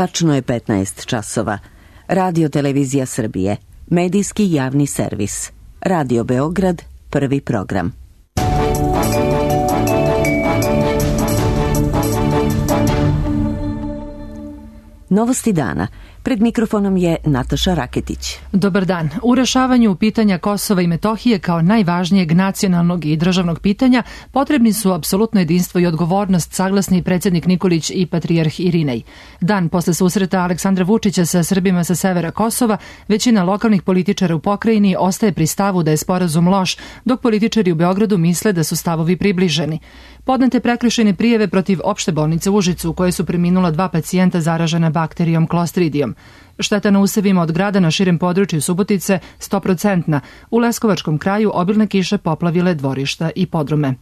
Tačno je 15 časova. Radio Televizija Srbije. Medijski javni servis. Radio Beograd, prvi program. Novosti dana. Pred mikrofonom je Nataša Raketić. Dobar dan. U rešavanju pitanja Kosova i Metohije kao najvažnijeg nacionalnog i državnog pitanja potrebni su apsolutno jedinstvo i odgovornost, saglasni predsjednik Nikolić i patrijarh Irinej. Dan posle susreta Aleksandra Vučića sa Srbima sa severa Kosova, većina lokalnih političara u pokrajini ostaje pri stavu da je sporazum loš, dok političari u Beogradu misle da su stavovi približeni. Podnete prekršajne prijave protiv opšte bolnice u Užicu, u kojoj su preminula 2 pacijenta zaražena bakterijom Clostridijom. Šteta na usevima od grada na širem području Subotice 100%. U Leskovačkom kraju obilne kiše poplavile dvorišta i podrume.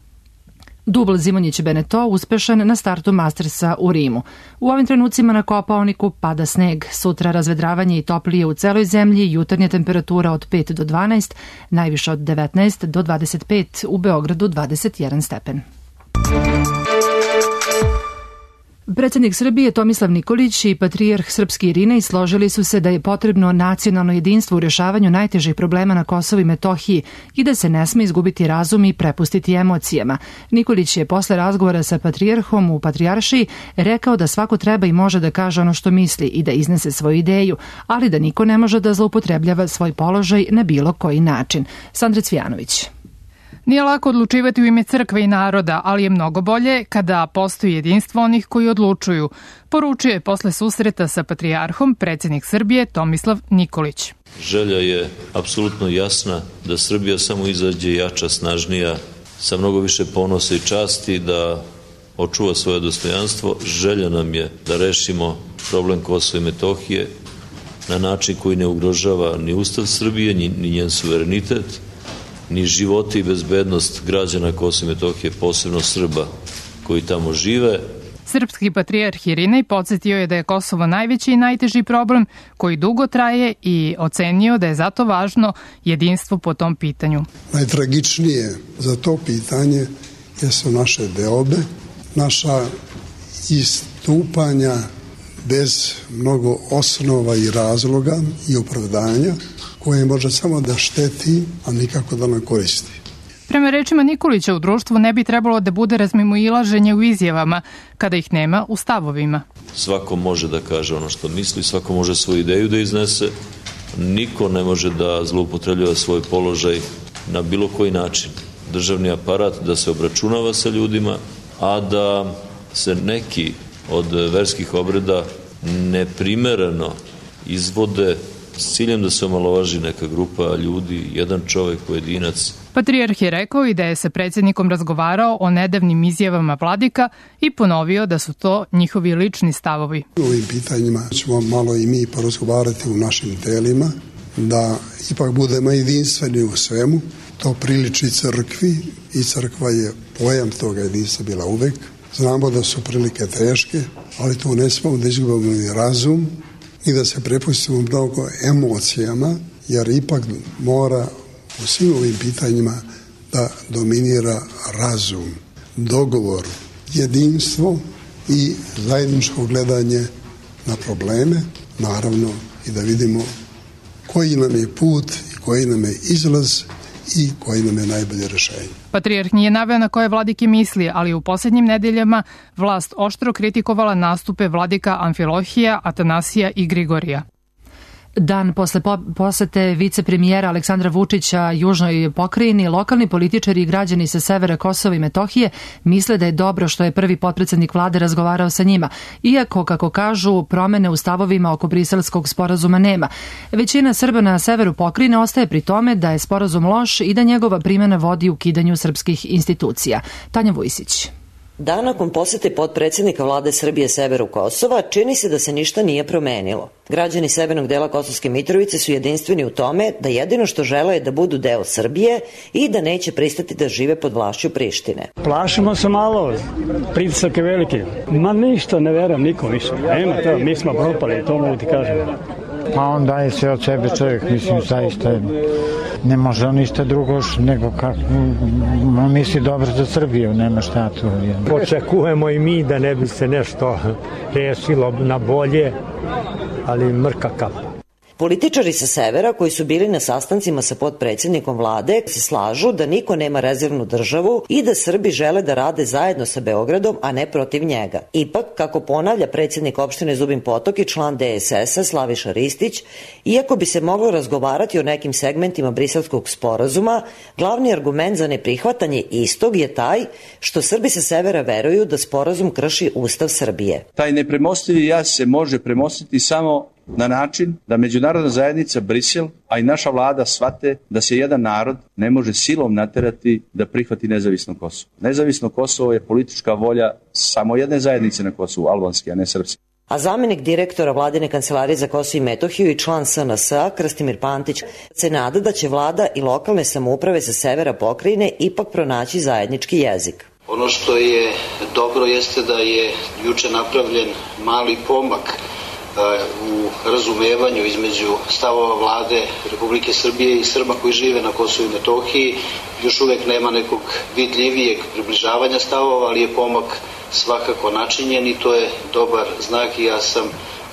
Dubl Zimonjić-Beneto uspešan na startu Mastersa u Rimu. U ovim trenucima na Kopaoniku pada sneg. Sutra razvedravanje i toplije u celoj zemlji, jutarnja temperatura od 5 do 12, najviše od 19 do 25, u Beogradu 21 stepen. Predsjednik Srbije Tomislav Nikolić i patrijarh srpski Irinej složili su se da je potrebno nacionalno jedinstvo u rešavanju najtežih problema na Kosovu i Metohiji i da se ne sme izgubiti razum i prepustiti emocijama. Nikolić je posle razgovora sa patrijarhom u Patrijaršiji rekao da svako treba i može da kaže ono što misli i da iznese svoju ideju, ali da niko ne može da zloupotrebljava svoj položaj na bilo koji način. Sandra Cvijanović. Nije lako odlučivati u ime crkve i naroda, ali je mnogo bolje kada postoji jedinstvo onih koji odlučuju, poručio je posle susreta sa patrijarhom predsjednik Srbije Tomislav Nikolić. Želja je apsolutno jasna da Srbija samo izađe jača, snažnija, sa mnogo više ponosa i časti, da očuva svoje dostojanstvo. Želja nam je da rešimo problem Kosova i Metohije na način koji ne ugrožava ni Ustav Srbije, ni njen suverenitet, ni životi i bezbednost građana Kosova i Metohije, posebno Srba koji tamo žive. Srpski patrijarh Irinej podsjetio je da je Kosovo najveći i najteži problem koji dugo traje i ocenio da je zato važno jedinstvo po tom pitanju. Najtragičnije za to pitanje jesu naše deobe, naša istupanja bez mnogo osnova i razloga i opravdanja, koje može samo da šteti, a nikako da nam koristi. Prema rečima Nikolića, u društvu ne bi trebalo da bude razmimoilaženje u izjavama, kada ih nema u stavovima. Svako može da kaže ono što misli, svako može svoju ideju da iznese, niko ne može da zloupotrebljava svoj položaj na bilo koji način. Državni aparat da se obračunava sa ljudima, a da se neki od verskih obreda neprimereno izvode s ciljem da se omalovaži neka grupa ljudi, jedan čovjek, pojedinac. Patrijarh je rekao i da je sa predsjednikom razgovarao o nedavnim izjavama vladika i ponovio da su to njihovi lični stavovi. U ovim pitanjima ćemo malo i mi porazgovarati u našim telima, da ipak budemo jedinstveni u svemu. To priliči crkvi i crkva je pojam toga jedinstva bila uvek. Znamo da su prilike teške, ali tu ne smemo da izgubimo ni razum i da se prepustimo mnogo emocijama, jer ipak mora u svim ovim pitanjima da dominira razum, dogovor, jedinstvo i zajedničko gledanje na probleme, naravno i da vidimo koji nam je put i koji nam je izlaz i koji nam je najbolje rešenje. Patrijarh nije naveo na koje vladike misli, ali u posljednjim nedeljama vlast oštro kritikovala nastupe vladika Amfilohija, Atanasija i Grigorija. Dan posle posete vicepremijera Aleksandra Vučića južnoj pokrajini, lokalni političari i građani sa severa Kosova i Metohije misle da je dobro što je prvi potpredsednik vlade razgovarao sa njima, iako, kako kažu, promene u stavovima oko briselskog sporazuma nema. Većina Srba na severu pokrajine ostaje pri tome da je sporazum loš i da njegova primjena vodi ukidanju srpskih institucija. Tanja Vujsić. Dan nakon posete potpredsjednika vlade Srbije severu Kosova čini se da se ništa nije promenilo. Građani severnog dela Kosovske Mitrovice su jedinstveni u tome da jedino što žele je da budu deo Srbije i da neće pristati da žive pod vlašću Prištine. Plašimo se malo, pritisak je veliki. Ma ništa, ne verujem nikom više. Nema to, mi smo propali, to mogu ti kažem. Pa on daje sve od sebe čovjek, mislim, zaista Ne može on ništa drugo nego kako misli dobro za Srbiju, nema šta tu. Očekujemo i mi da ne bi se nešto rešilo na bolje, ali mrka kapa. Političari sa severa koji su bili na sastancima sa potpredsjednikom vlade se slažu da niko nema rezervnu državu i da Srbi žele da rade zajedno sa Beogradom, a ne protiv njega. Ipak, kako ponavlja predsjednik opštine Zubin Potok i član DSS-a Slaviša Ristić, iako bi se moglo razgovarati o nekim segmentima Briselskog sporazuma, glavni argument za neprihvatanje istog je taj što Srbi sa severa veruju da sporazum krši Ustav Srbije. Taj nepremostivi jaz se može premostiti samo na način da međunarodna zajednica Brisel, a i naša vlada shvate da se jedan narod ne može silom naterati da prihvati nezavisno Kosovo. Nezavisno Kosovo je politička volja samo jedne zajednice na Kosovu, albanske, a ne srpske. A zamenik direktora Vladine kancelarije za Kosovo i Metohiju i član SNS-a Krastimir Pantić se nada da će vlada i lokalne samouprave sa severa pokrajine ipak pronaći zajednički jezik. Ono što je dobro jeste da je juče napravljen mali pomak u razumevanju između stavova vlade Republike Srbije i Srba koji žive na Kosovu i Metohiji. Još uvek nema nekog vidljivijeg približavanja stavova, ali je pomak svakako načinjen i to je dobar znak i ja sam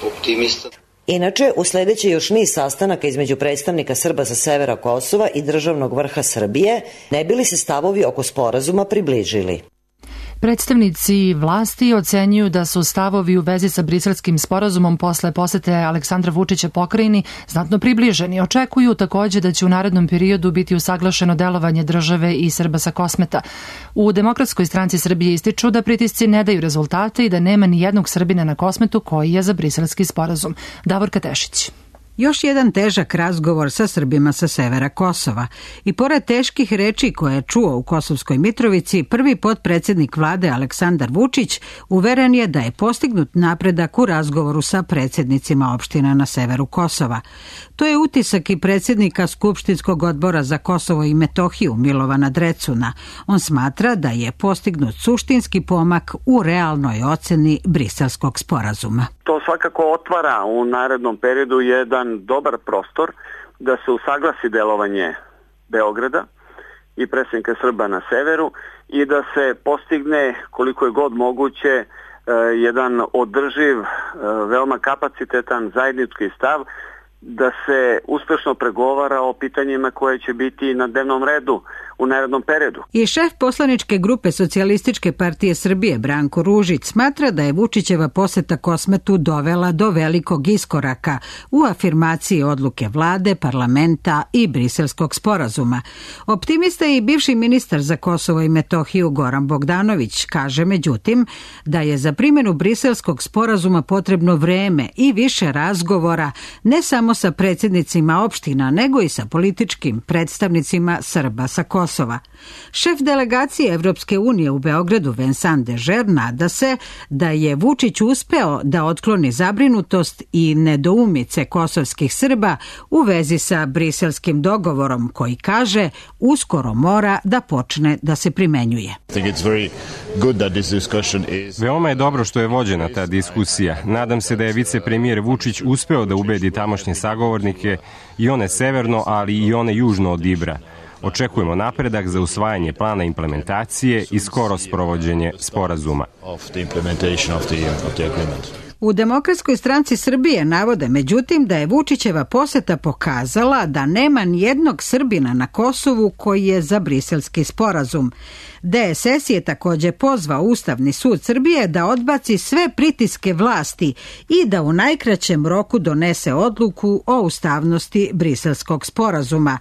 optimista. Inače, usledeće još niz sastanaka između predstavnika Srba sa severa Kosova i državnog vrha Srbije, ne bi li se stavovi oko sporazuma približili. Predstavnici vlasti ocenjuju da su stavovi u vezi sa Briselskim sporazumom posle posete Aleksandra Vučića pokrajini znatno približeni. Očekuju takođe da će u narednom periodu biti usaglašeno delovanje države i Srba sa Kosmeta. U Demokratskoj stranci Srbije ističu da pritisci ne daju rezultate i da nema ni jednog Srbina na Kosmetu koji je za Briselski sporazum. Davorka Tešić. Još jedan težak razgovor sa Srbima sa severa Kosova. I pored teških reči koje je čuo u Kosovskoj Mitrovici, prvi potpredsjednik vlade Aleksandar Vučić uveren je da je postignut napredak u razgovoru sa predsjednicima opština na severu Kosova. To je utisak i predsjednika Skupštinskog odbora za Kosovo i Metohiju Milovana Drecuna. On smatra da je postignut suštinski pomak u realnoj oceni Briselskog sporazuma. To svakako otvara u narednom periodu jedan dobar prostor da se usaglasi delovanje Beograda i predsjednika Srba na severu i da se postigne koliko je god moguće jedan održiv, veoma kapacitetan zajednički stav da se uspešno pregovara o pitanjima koje će biti na dnevnom redu u narednom periodu. I šef poslaničke grupe Socijalističke partije Srbije Branko Ružić smatra da je Vučićeva poseta Kosmetu dovela do velikog iskoraka u afirmaciji odluke vlade, parlamenta i Briselskog sporazuma. Optimista je i bivši ministar za Kosovo i Metohiju Goran Bogdanović, kaže međutim da je za primjenu Briselskog sporazuma potrebno vreme i više razgovora ne samo sa predsjednicima opština, nego i sa političkim predstavnicima Srba sa Kosova. Šef delegacije Evropske unije u Beogradu Vincent Dežer nada se da je Vučić uspeo da otkloni zabrinutost i nedoumice kosovskih Srba u vezi sa briselskim dogovorom koji kaže uskoro mora da počne da se primenjuje. Veoma je dobro što je vođena ta diskusija. Nadam se da je vicepremijer Vučić uspeo da ubedi tamošnje sagovornike i one severno, ali i one južno od Ibra. Očekujemo napredak za usvajanje plana implementacije i skoro sprovođenje sporazuma. U Demokratskoj stranci Srbije navode međutim da je Vučićeva poseta pokazala da nema nijednog Srbina na Kosovu koji je za Briselski sporazum. DSS je također pozvao Ustavni sud Srbije da odbaci sve pritiske vlasti i da u najkraćem roku donese odluku o ustavnosti Briselskog sporazuma.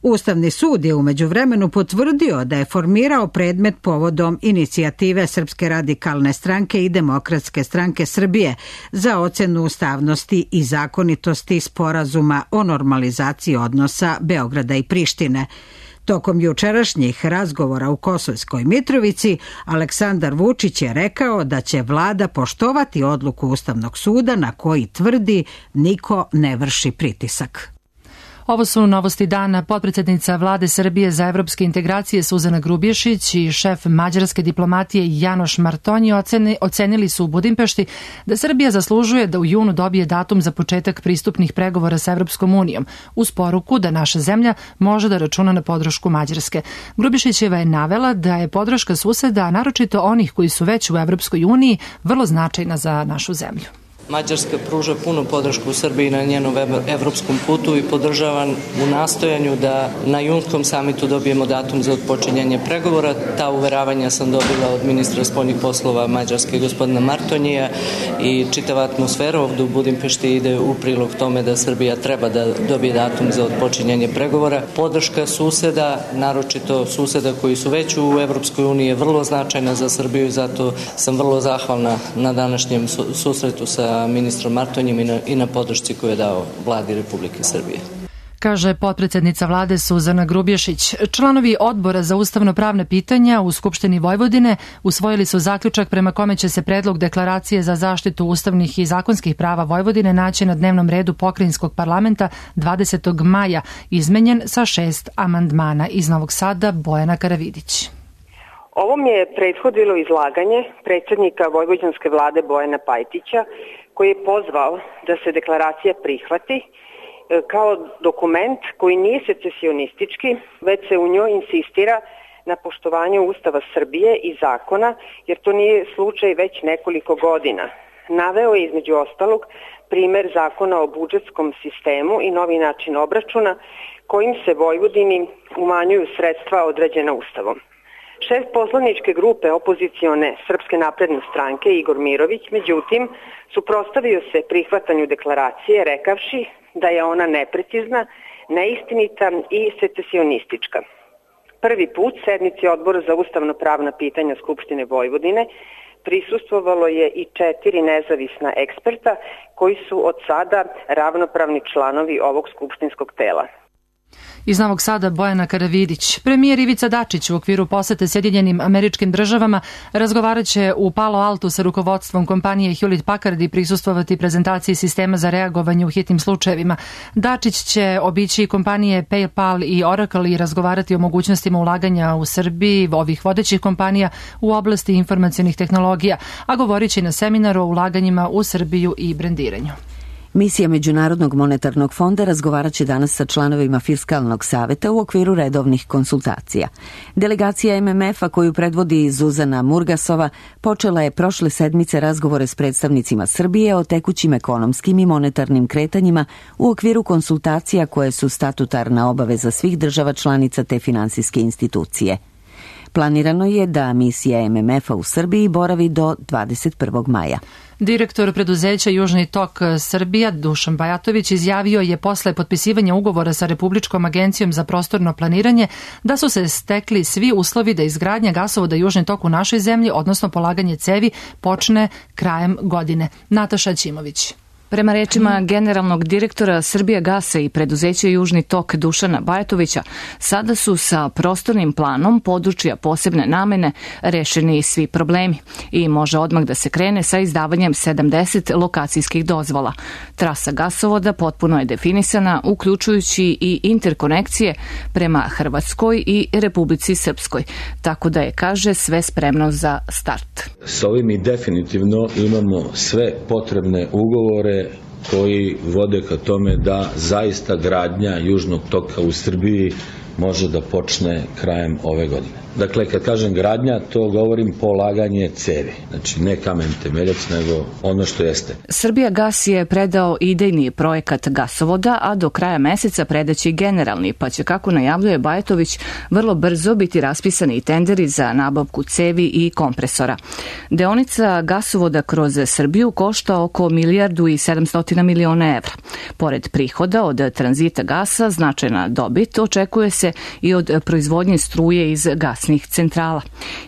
Ustavni sud je u međuvremenu potvrdio da je formirao predmet povodom inicijative Srpske radikalne stranke i Demokratske stranke Srbije za ocenu ustavnosti i zakonitosti sporazuma o normalizaciji odnosa Beograda i Prištine. Tokom jučerašnjih razgovora u Kosovskoj Mitrovici, Aleksandar Vučić je rekao da će vlada poštovati odluku Ustavnog suda na koji tvrdi niko ne vrši pritisak. Ovo su novosti dana. Potpredsednica Vlade Srbije za evropske integracije Suzana Grubješić i šef mađarske diplomatije Janoš Martonji ocenili su u Budimpešti da Srbija zaslužuje da u junu dobije datum za početak pristupnih pregovora sa Evropskom unijom, uz poruku da naša zemlja može da računa na podršku Mađarske. Grubješićeva je navela da je podrška suseda, naročito onih koji su već u Evropskoj uniji, vrlo značajna za našu zemlju. Mađarska pruža punu podršku Srbiji na njenom evropskom putu i podržavam u nastojanju da na junskom samitu dobijemo datum za odpočinjanje pregovora. Ta uveravanja sam dobila od ministra spoljnih poslova Mađarske gospodina Martonija i čitava atmosfera ovdje u Budimpešti ide u prilog tome da Srbija treba da dobije datum za odpočinjanje pregovora. Podrška suseda, naročito suseda koji su već u Evropskoj uniji, je vrlo značajna za Srbiju i zato sam vrlo zahvalna na današnjem susretu sa ministrom Martonjem i na podršci koju je dao vladi Republike Srbije. Kaže potpredsednica vlade Suzana Grubješić. Članovi odbora za ustavno-pravna pitanja u Skupštini Vojvodine usvojili su zaključak prema kome će se predlog deklaracije za zaštitu ustavnih i zakonskih prava Vojvodine naći na dnevnom redu pokrajinskog parlamenta 20. maja, izmenjen sa 6 amandmana. Iz Novog Sada Bojana Karavidić. Ovom je prethodilo izlaganje predsjednika vojvođanske vlade Bojana Pajtića, koji je pozvao da se deklaracija prihvati kao dokument koji nije secesionistički, već se u njoj insistira na poštovanju Ustava Srbije i zakona, jer to nije slučaj već nekoliko godina. Naveo je između ostalog primer zakona o budžetskom sistemu i novi način obračuna kojim se Vojvodini umanjuju sredstva određena Ustavom. Šef poslaničke grupe opozicione Srpske napredne stranke Igor Mirović, međutim, suprotstavio se prihvatanju deklaracije rekavši da je ona neprecizna, neistinita i secesionistička. Prvi put sednici Odbora za ustavno-pravna pitanja Skupštine Vojvodine prisustvovalo je i 4 nezavisna eksperta koji su od sada ravnopravni članovi ovog skupštinskog tela. Iz Novog Sada Bojana Karavidić. Premijer Ivica Dačić u okviru posete Sjedinjenim Američkim Državama razgovarat će u Palo Altu sa rukovodstvom kompanije Hewlett Packard i prisustvovati prezentaciji sistema za reagovanje u hitnim slučajevima. Dačić će obići kompanije PayPal i Oracle i razgovarati o mogućnostima ulaganja u Srbiji ovih vodećih kompanija u oblasti informacionih tehnologija, a govorit će na seminaru o ulaganjima u Srbiju i brendiranju. Misija Međunarodnog monetarnog fonda razgovarat će danas sa članovima Fiskalnog saveta u okviru redovnih konsultacija. Delegacija MMF-a koju predvodi Zuzana Murgasova počela je prošle sedmice razgovore s predstavnicima Srbije o tekućim ekonomskim i monetarnim kretanjima u okviru konsultacija koje su statutarna obaveza svih država članica te finansijske institucije. Planirano je da misija MMF-a u Srbiji boravi do 21. maja. Direktor preduzeća Južni tok Srbija Dušan Bajatović izjavio je posle potpisivanja ugovora sa Republičkom agencijom za prostorno planiranje da su se stekli svi uslovi da izgradnja gasovoda Južni tok u našoj zemlji, odnosno polaganje cevi, počne krajem godine. Nataša Ćimović. Prema rečima generalnog direktora Srbijagasa i preduzeća Južni tok Dušana Bajatovića, sada su sa prostornim planom područja posebne namene rešeni svi problemi i može odmah da se krene sa izdavanjem 70 lokacijskih dozvola. Trasa gasovoda potpuno je definisana, uključujući i interkonekcije prema Hrvatskoj i Republici Srpskoj, tako da je, kaže, sve spremno za start. S ovim mi definitivno imamo sve potrebne ugovore koji vode ka tome da zaista gradnja Južnog toka u Srbiji može da počne krajem ove godine. Dakle, kad kažem gradnja, to govorim polaganje cevi. Znači, ne kamen temeljac, nego ono što jeste. Srbijagas je predao idejni projekat gasovoda, a do kraja meseca predaće generalni, pa će, kako najavljuje Bajatović, vrlo brzo biti raspisani i tenderi za nabavku cevi i kompresora. Deonica gasovoda kroz Srbiju košta oko 1,7 milijardi evra. Pored prihoda od tranzita gasa, značajna dobit očekuje se i od proizvodnje struje iz gasnih centrala.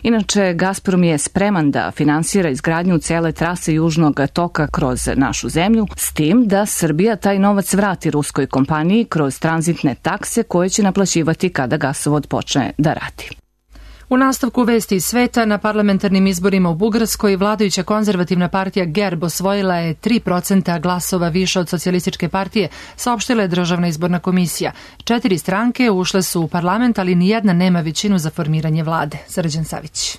Inače, Gazprom je spreman da finansira izgradnju cele trase Južnog toka kroz našu zemlju, s tim da Srbija taj novac vrati ruskoj kompaniji kroz tranzitne takse koje će naplaćivati kada gasovod počne da radi. U nastavku vesti iz sveta, na parlamentarnim izborima u Bugarskoj vladajuća konzervativna partija GERB osvojila je 3% glasova više od socijalističke partije, saopštila je Državna izborna komisija. 4 stranke ušle su u parlament, ali nijedna nema većinu za formiranje vlade. Srđan Savić.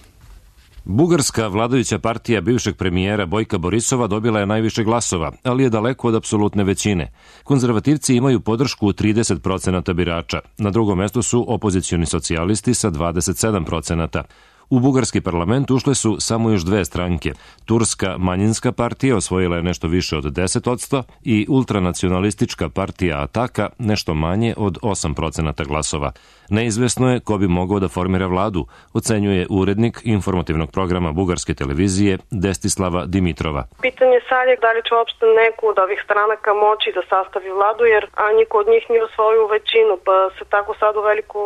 Bugarska vladajuća partija bivšeg premijera Bojka Borisova dobila je najviše glasova, ali je daleko od apsolutne većine. Konzervativci imaju podršku 30% birača. Na drugom mestu su opozicioni socijalisti sa 27%. U bugarski parlament ušle su samo još 2 stranke. Turska manjinska partija osvojila je nešto više od 10% i ultranacionalistička partija Ataka nešto manje od 8% glasova. Neizvesno je ko bi mogao da formira vladu, ocenjuje urednik informativnog programa bugarske televizije Destislava Dimitrova. Pitanje sad je da li će uopšte neku od ovih stranaka moći da sastavi vladu, jer niko od njih nije osvojio većinu, pa se tako sad u veliku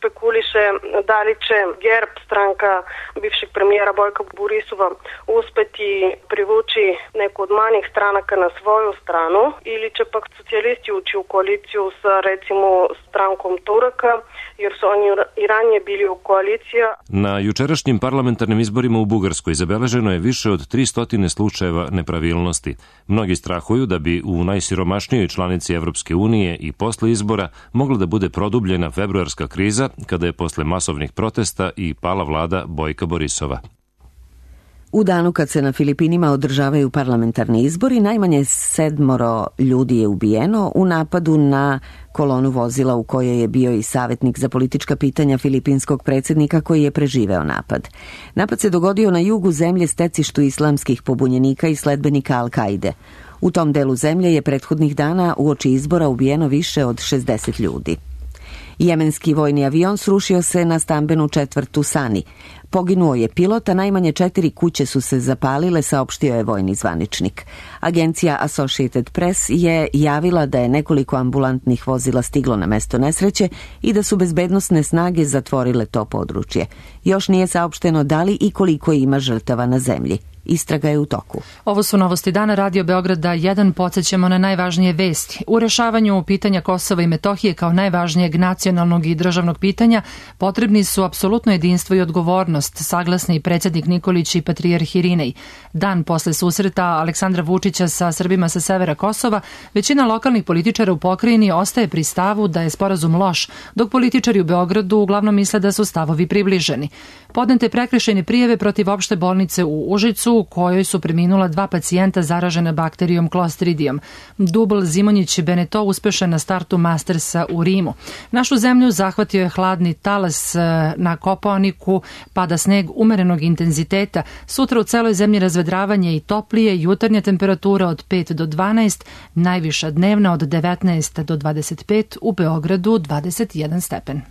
spekuliše da li će GERB, stranka bivšeg premijera Bojka Borisova, uspeti privući neku od manjih stranaka na svoju stranu ili će pak socijalisti ući u koaliciju sa recimo strankom Turaka, jer su oni i ranije bili u koaliciji. Na jučerašnjim parlamentarnim izborima u Bugarskoj zabeleženo je više od 300 slučajeva nepravilnosti. Mnogi strahuju da bi u najsiromašnijoj članici Evropske unije i posle izbora mogla da bude produbljena februarska kriza, kada je posle masovnih protesta i pala vlada Bojka Borisova. U danu kad se na Filipinima održavaju parlamentarni izbori, najmanje 7 ljudi je ubijeno u napadu na kolonu vozila u kojoj je bio i savjetnik za politička pitanja filipinskog predsjednika koji je preživeo napad. Napad se dogodio na jugu zemlje, stecištu islamskih pobunjenika i sledbenika Al-Kaide. U tom delu zemlje je prethodnih dana uoči izbora ubijeno više od 60 ljudi. Jemenski vojni avion srušio se na stambenu četvrtu Sani. Poginuo je pilot, a najmanje 4 kuće su se zapalile, saopštio je vojni zvaničnik. Agencija Associated Press je javila da je nekoliko ambulantnih vozila stiglo na mesto nesreće i da su bezbednosne snage zatvorile to područje. Još nije saopšteno da li i koliko ima žrtava na zemlji. Istraga je u toku. Ovo su novosti dana Radio Beograda 1. Podsjećamo na najvažnije vesti. U rešavanju pitanja Kosova i Metohije kao najvažnijeg nacionalnog i državnog pitanja potrebni su apsolutno jedinstvo i odgovornost, saglasni predsjednik Nikolić i patrijarh Irinej. Dan posle susreta Aleksandra Vučića sa Srbima sa severa Kosova, većina lokalnih političara u pokrajini ostaje pri stavu da je sporazum loš, dok političari u Beogradu uglavnom misle da su stavovi približeni. Podnete prekršajne prijave protiv opšte bolnice u Užicu, u kojoj su preminula 2 pacijenta zaražena bakterijom Clostridijom. Dubl Zimonjić Beneto uspešan na startu Mastersa u Rimu. Našu zemlju zahvatio je hladni talas na Kopaoniku, pada sneg umerenog intenziteta. Sutra u celoj zemlji razvedravanje i toplije, jutarnja temperatura od 5 do 12, najviša dnevna od 19 do 25, u Beogradu 21 stepen.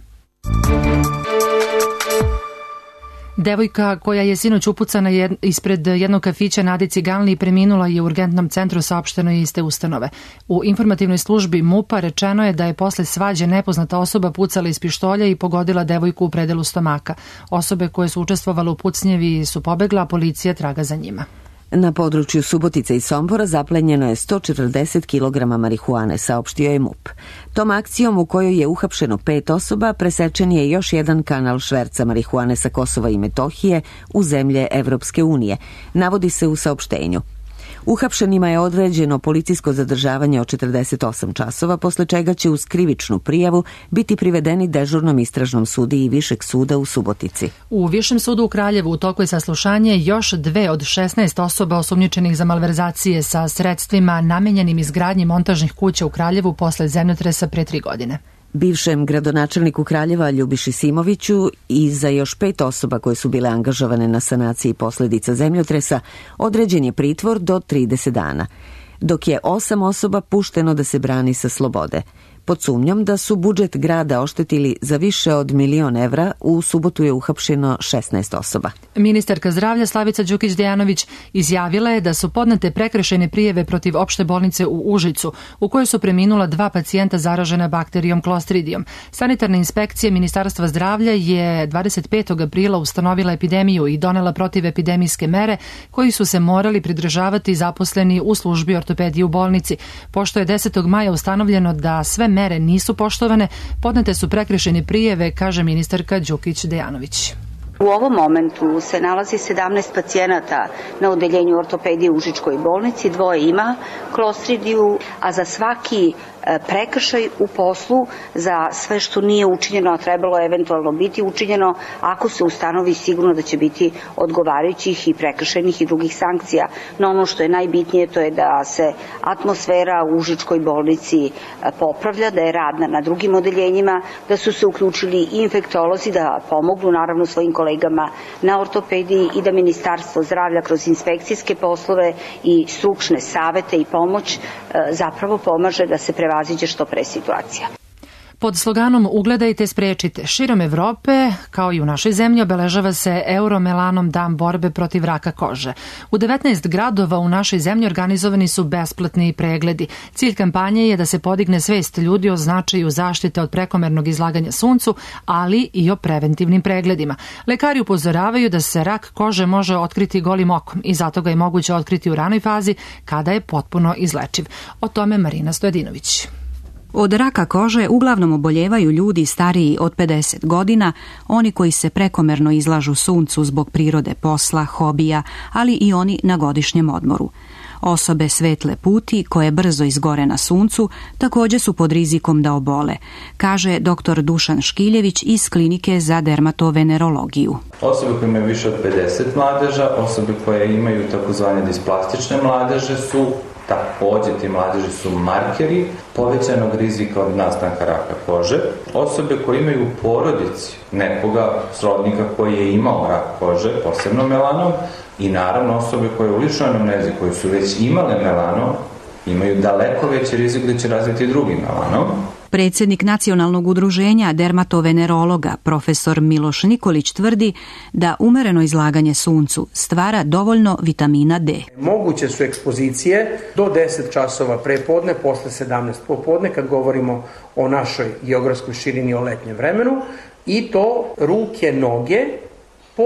Devojka koja je sinoć upucana ispred jednog kafića na Adi Ciganli preminula je u urgentnom centru, saopšteno je iz te ustanove. U informativnoj službi MUP-a rečeno je da je posle svađe nepoznata osoba pucala iz pištolja i pogodila devojku u predelu stomaka. Osobe koje su učestvovale u pucnjevi su pobegla, a policija traga za njima. Na području Subotice i Sombora zaplenjeno je 140 kg marihuane, saopštio je MUP. Tom akcijom u kojoj je uhapšeno 5 osoba presečen je još jedan kanal šverca marihuane sa Kosova i Metohije u zemlje Evropske unije, navodi se u saopštenju. Uhapšenima je određeno policijsko zadržavanje od 48 časova, posle čega će uz krivičnu prijavu biti privedeni dežurnom istražnom sudiji Višeg suda u Subotici. U Višem sudu u Kraljevu u toku je saslušanje još 2 od 16 osoba osumnjičenih za malverzacije sa sredstvima namenjenim izgradnji montažnih kuća u Kraljevu posle zemljotresa pre 3 godine. Bivšem gradonačelniku Kraljeva Ljubiši Simoviću i za još 5 osoba koje su bile angažovane na sanaciji posljedica zemljotresa određen je pritvor do 30 dana, dok je 8 osoba pušteno da se brani sa slobode. Pod sumnjom da su budžet grada oštetili za više od 1 milion evra, u subotu je uhapšeno 16 osoba. Ministarka zdravlja Slavica Đukić-Dejanović izjavila je da su podnete prekršajne prijave protiv opšte bolnice u Užicu, u kojoj su preminula 2 pacijenta zaražena bakterijom Clostridijom. Sanitarna inspekcija Ministarstva zdravlja je 25. aprila ustanovila epidemiju i donela protivepidemijske mere koji su se morali pridržavati zaposleni u službi ortopedije u bolnici. Pošto je 10. maja ustanovljeno da sve mere nisu poštovane, podnete su prekršajne prijave, kaže ministarka Đukić-Dejanović. U ovom momentu se nalazi 17 pacijenata na odeljenju ortopedije u Užičkoj bolnici, 2 ima klostridiju, a za svaki prekršaj u poslu, za sve što nije učinjeno, a trebalo eventualno biti učinjeno, ako se ustanovi sigurno da će biti odgovarajućih i prekršajnih i drugih sankcija. No ono što je najbitnije to je da se atmosfera u Užičkoj bolnici popravlja, da je radna na drugim odeljenjima, da su se uključili i infektolozi da pomognu naravno svojim kolegama na ortopediji i da Ministarstvo zdravlja kroz inspekcijske poslove i stručne savete i pomoć zapravo pomaže da se prevaziđe što pre situacija. Pod sloganom Ugledajte, sprečite, širom Evrope, kao i u našoj zemlji, obeležava se Euromelanom dan borbe protiv raka kože. U 19 gradova u našoj zemlji organizovani su besplatni pregledi. Cilj kampanje je da se podigne svest ljudi o značaju zaštite od prekomernog izlaganja suncu, ali i o preventivnim pregledima. Lekari upozoravaju da se rak kože može otkriti golim okom i zato ga je moguće otkriti u ranoj fazi kada je potpuno izlečiv. O tome Marina Stojadinović. Od raka kože uglavnom oboljevaju ljudi stariji od 50 godina, oni koji se prekomerno izlažu suncu zbog prirode posla, hobija, ali i oni na godišnjem odmoru. Osobe svetle puti koje brzo izgore na suncu također su pod rizikom da obole, kaže dr. Dušan Škiljević iz Klinike za dermatovenerologiju. Osobe koje imaju više od 50 mladeža, osobe koje imaju takozvane displastične mladeže su također ti mladeži su markeri povećanog rizika od nastanka raka kože. Osobe koje imaju u porodici nekoga srodnika koji je imao rak kože, posebno melanom, i naravno osobe koje u ličnoj anamnezi koje su već imale melanom imaju daleko veći rizik da će razviti drugi melanom. Predsjednik Nacionalnog udruženja dermatovenerologa profesor Miloš Nikolić tvrdi da umereno izlaganje suncu stvara dovoljno vitamina D. Moguće su ekspozicije do 10 časova prepodne, posle 17 popodne, kad govorimo o našoj geografskoj širini o letnjem vremenu, i to ruke, noge, po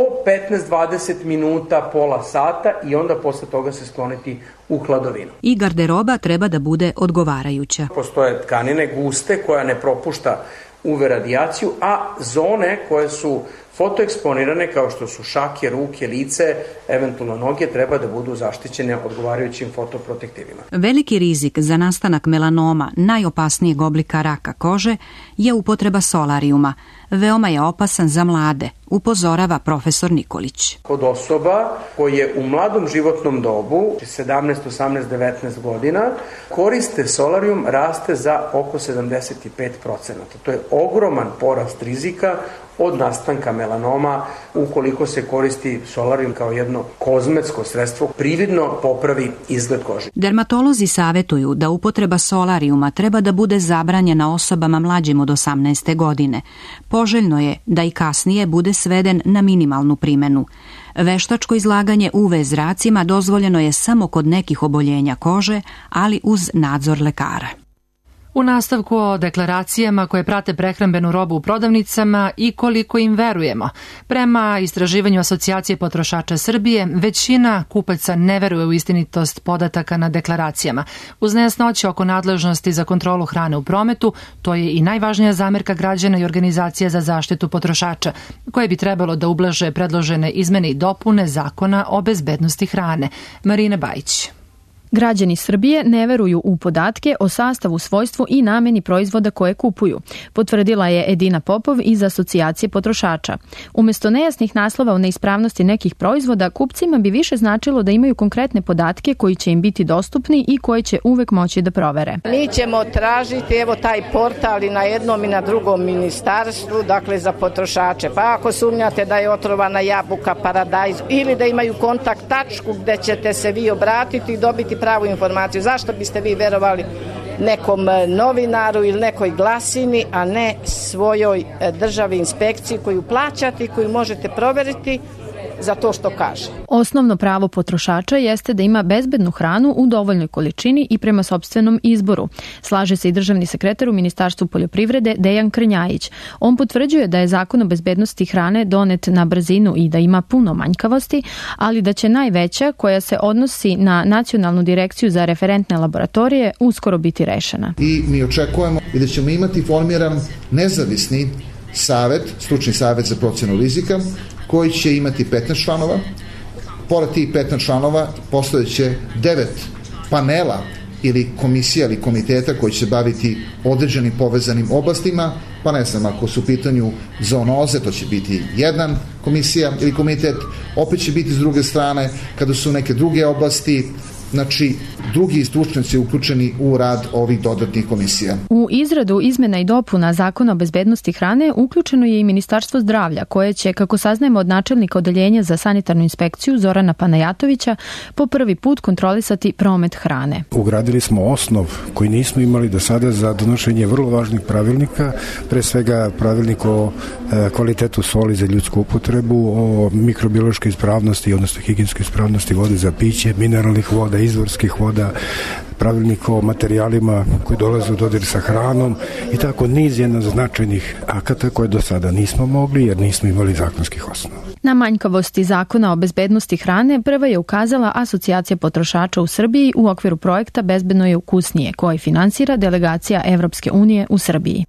15-20 minuta, pola sata, i onda posle toga se skloniti u hladovinu. I garderoba treba da bude odgovarajuća. Postoje tkanine guste koja ne propušta UV radijaciju, a zone koje su fotoeksponirane kao što su šake, ruke, lice, eventualno noge, treba da budu zaštićene odgovarajućim fotoprotektivima. Veliki rizik za nastanak melanoma, najopasnijeg oblika raka kože, je upotreba solarijuma. Veoma je opasan za mlade, upozorava profesor Nikolić. Kod osoba koje u mladom životnom dobu, 17, 18, 19 godina, koriste solarijum, raste za oko 75%. To je ogroman porast rizika od nastanka melanoma ukoliko se koristi solarijum kao jedno kozmetsko sredstvo, prividno popravi izgled kože. Dermatolozi savjetuju da upotreba solarijuma treba da bude zabranjena osobama mlađim od 18. godine. Poželjno je da i kasnije bude sveden na minimalnu primjenu. Veštačko izlaganje UV zracima dozvoljeno je samo kod nekih oboljenja kože, ali uz nadzor lekara. U nastavku o deklaracijama koje prate prehrambenu robu u prodavnicama i koliko im verujemo. Prema istraživanju Asocijacije potrošača Srbije, većina kupaca ne veruje u istinitost podataka na deklaracijama. Uz nejasnoće oko nadležnosti za kontrolu hrane u prometu, to je i najvažnija zamerka građana i organizacija za zaštitu potrošača, koje bi trebalo da ublaže predložene izmene i dopune Zakona o bezbednosti hrane. Marina Bajić. Građani Srbije ne veruju u podatke o sastavu, svojstvu i nameni proizvoda koje kupuju, potvrdila je Edina Popov iz Asocijacije potrošača. Umesto nejasnih naslova o neispravnosti nekih proizvoda, kupcima bi više značilo da imaju konkretne podatke koji će im biti dostupni i koje će uvek moći da provere. Mi ćemo tražiti evo taj portal i na jednom i na drugom ministarstvu, dakle za potrošače. Pa ako sumnjate da je otrovana jabuka, paradajz ili da imaju kontakt tačku gde ćete se vi obratiti i dobiti pravu informaciju. Zašto biste vi verovali nekom novinaru ili nekoj glasini, a ne svojoj državi inspekciji koju plaćate i koju možete proveriti za to što kaže. Osnovno pravo potrošača jeste da ima bezbednu hranu u dovoljnoj količini i prema sopstvenom izboru. Slaže se i državni sekretar u Ministarstvu poljoprivrede Dejan Krnjajić. On potvrđuje da je Zakon o bezbednosti hrane donet na brzinu i da ima puno manjkavosti, ali da će najveća, koja se odnosi na Nacionalnu direkciju za referentne laboratorije, uskoro biti rešena. I mi očekujemo i da ćemo imati formiran nezavisni savet, stručni savet za procjenu rizika, koji će imati 15 članova. Pored tih 15 članova postojeće 9 panela ili komisija ili komiteta koji će se baviti određenim povezanim oblastima, pa ne znam, ako su u pitanju zoonoze, to će biti jedna komisija ili komitet, opet će biti s druge strane, kada su neke druge oblasti, znači drugi stručnjaci uključeni u rad ovih dodatnih komisija. U izradu izmena i dopuna Zakona o bezbednosti hrane uključeno je i Ministarstvo zdravlja, koje će, kako saznajemo od načelnika Odeljenja za sanitarnu inspekciju Zorana Panajatovića, po prvi put kontrolisati promet hrane. Ugradili smo osnov koji nismo imali do sada za donošenje vrlo važnih pravilnika, pre svega pravilnik o kvalitetu soli za ljudsku upotrebu, o mikrobiološkoj ispravnosti, odnosno higijenskoj ispravnosti vode za piće, mineralnih voda, izvorskih voda, pravilnik o materijalima koji dolaze u dodir sa hranom i tako niz značajnih akata koje do sada nismo mogli jer nismo imali zakonskih osnova. Na manjkavosti Zakona o bezbednosti hrane prva je ukazala Asocijacija potrošača u Srbiji u okviru projekta Bezbedno je ukusnije, koji finansira delegacija Evropske unije u Srbiji.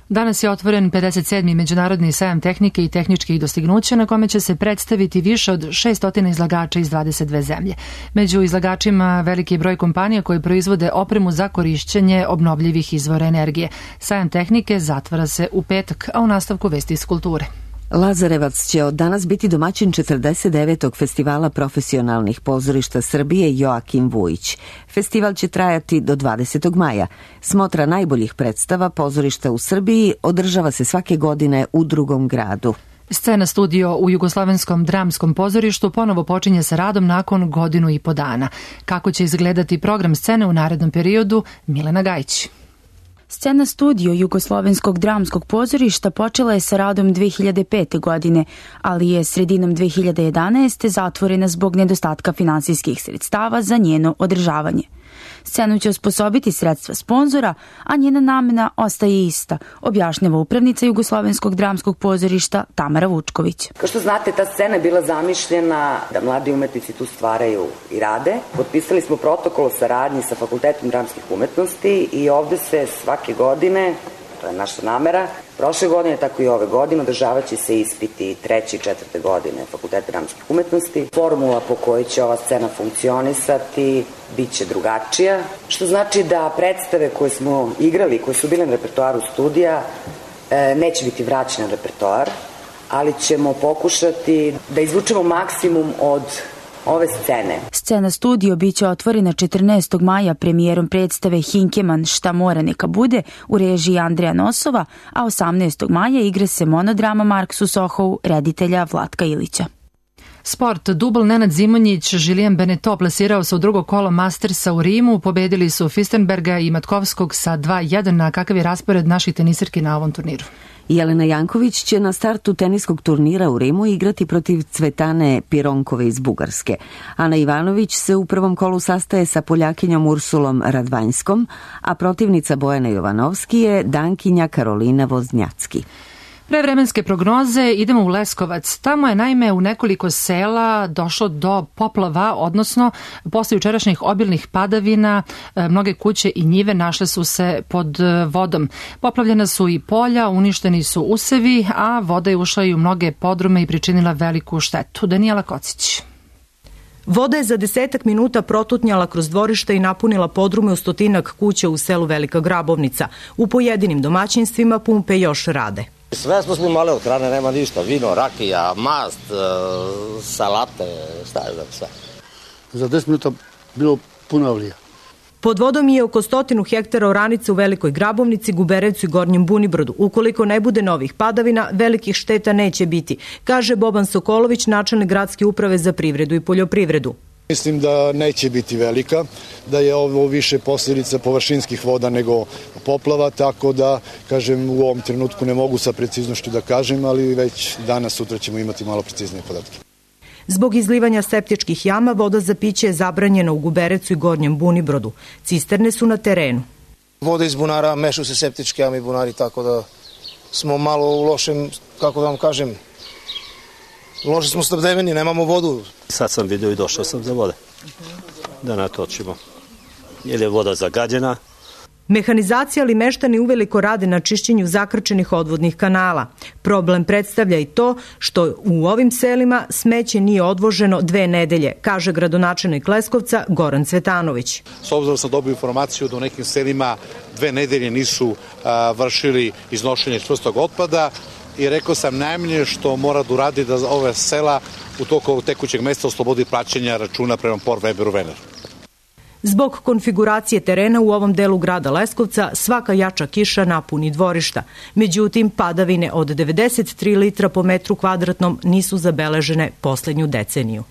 Danas je otvoren 57. Međunarodni sajam tehnike i tehničkih dostignuća na kome će se predstaviti više od 600 izlagača iz 22 zemlje. Među izlagačima veliki broj kompanija koje proizvode opremu za korišćenje obnovljivih izvora energije. Sajam tehnike zatvara se u petak, a u nastavku vesti iz kulture. Lazarevac će od danas biti domaćin 49. festivala profesionalnih pozorišta Srbije Joakim Vujić. Festival će trajati do 20. maja. Smotra najboljih predstava pozorišta u Srbiji održava se svake godine u drugom gradu. Scena studio u Jugoslovenskom dramskom pozorištu ponovo počinje sa radom nakon 1,5 godinu. Kako će izgledati program scene u narednom periodu, Milena Gajić. Scena studio Jugoslovenskog dramskog pozorišta počela je sa radom 2005. godine, ali je sredinom 2011. zatvorena zbog nedostatka finansijskih sredstava za njeno održavanje. Scenu će osposobiti sredstva sponzora, a njena namena ostaje ista, objašnjava upravnica Jugoslovenskog dramskog pozorišta Tamara Vučković. Kao što znate, ta scena je bila zamišljena da mladi umetnici tu stvaraju i rade. Potpisali smo protokol o saradnji sa Fakultetom dramskih umetnosti i ovde se svake godine, to je naša namera, prošle godine, tako i ove godine, održavat će se ispiti 3. i 4. godine Fakulteta dramskih umetnosti. Formula po kojoj će ova scena funkcionisati bit će drugačija, što znači da predstave koje smo igrali, koje su bile na repertoaru studija, neće biti vraćene na repertoar, ali ćemo pokušati da izvučemo maksimum od ove scene. Scena studio biće otvorena 14. maja premijerom predstave Hinkeman Šta mora neka bude u režiji Andreja Nosova, a 18. maja igra se monodrama Marksu Sohou reditelja Vlatka Ilića. Sport. Dubl Nenad Zimonjić, Julien Beneteau plasirao se u drugo kolo Mastersa u Rimu, pobedili su Fistenberga i Matkovskog sa 2:1. Na kakav je raspored naših tenisirki na ovom turniru? Jelena Janković će na startu teniskog turnira u Rimu igrati protiv Cvetane Pironkove iz Bugarske. Ana Ivanović se u prvom kolu sastaje sa Poljakinjom Ursulom Radvanjskom, a protivnica Bojana Jovanovski je Dankinja Karolina Voznjacki. Prevremenske prognoze, idemo u Leskovac. Tamo je naime u nekoliko sela došlo do poplava, odnosno posle jučerašnjih obilnih padavina mnoge kuće i njive našle su se pod vodom. Poplavljena su i polja, uništeni su usevi, a voda je ušla i u mnoge podrume i pričinila veliku štetu. Danijela Kocić. Voda je za 10 minuta protutnjala kroz dvorište i napunila podrume u 100 kuća u selu Velika Grabovnica. U pojedinim domaćinstvima pumpe još rade. Sve smo imali od hrane, nema ništa, vino, rakija, mast, salate, šta je sve. Za 10 minuta bilo puno avlija. Pod vodom je oko 100 hektara oranica u Velikoj Grabovnici, Guberevcu i Gornjem Bunibrodu. Ukoliko ne bude novih padavina, velikih šteta neće biti, kaže Boban Sokolović, načelnik gradske uprave za privredu i poljoprivredu. Mislim da neće biti velika, da je ovo više posljedica površinskih voda nego poplava, tako da, kažem, u ovom trenutku ne mogu sa preciznošću da kažem, ali već danas, sutra ćemo imati malo preciznije podatke. Zbog izlivanja septičkih jama, voda za piće je zabranjena u Guberecu i Gornjem Bunibrodu. Cisterne su na terenu. Voda iz bunara, mešaju se septičke jame i bunari, tako da smo malo u lošem, kako da vam kažem, loše smo snabdeveni, nemamo vodu. Sad sam vidio i došao sam za vode, da natočimo. Jer je voda zagađena. Mehanizacija ali meštani uveliko rade na čišćenju zakrčenih odvodnih kanala. Problem predstavlja i to što u ovim selima smeće nije odvoženo 2 nedelje, kaže gradonačelnik Leskovca Goran Cvetanović. S obzirom sam dobio informaciju da u nekim selima 2 nedelje nisu vršili iznošenje čvrstog otpada i rekao sam najmanje što mora da uradi da ove sela u toku tekućeg meseca oslobodi plaćanja računa prema Port Weberu Vener. Zbog konfiguracije terena u ovom delu grada Leskovca svaka jača kiša napuni dvorišta. Međutim, padavine od 93 litra po metru kvadratnom nisu zabeležene poslednju deceniju.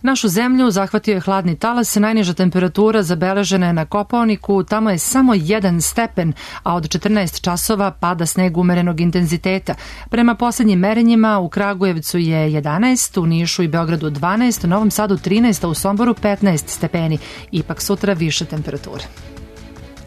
Našu zemlju zahvatio je hladni talas, najniža temperatura zabeležena je na Kopaoniku, tamo je samo 1 stepen, a od 14 časova pada sneg umerenog intenziteta. Prema poslednjim merenjima u Kragujevcu je 11, u Nišu i Beogradu 12, u Novom Sadu 13, a u Somboru 15 stepeni. Ipak sutra više temperature.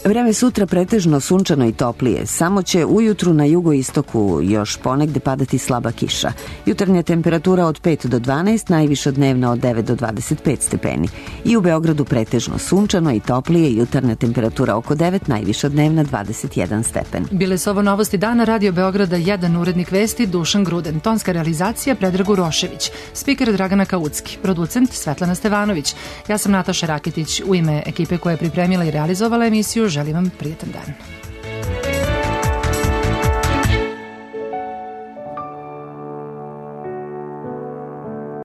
Vreme sutra pretežno sunčano i toplije, samo će ujutru na jugoistoku još ponegde padati slaba kiša. Jutarnja temperatura od 5 do 12, najviša dnevna od 9 do 25 stepeni. I u Beogradu pretežno sunčano i toplije, jutarnja temperatura oko 9, najviša dnevna 21 stepen. Bile su ovo novosti dana, Radio Beograda 1, urednik vesti Dušan Gruden, tonska realizacija Predrag Urošević, spiker Dragana Kaucki, producent Svetlana Stevanović. Ja sam Nataša Raketić, u ime ekipe koja je pripremila i realizovala emisiju želim vam prijetan dan.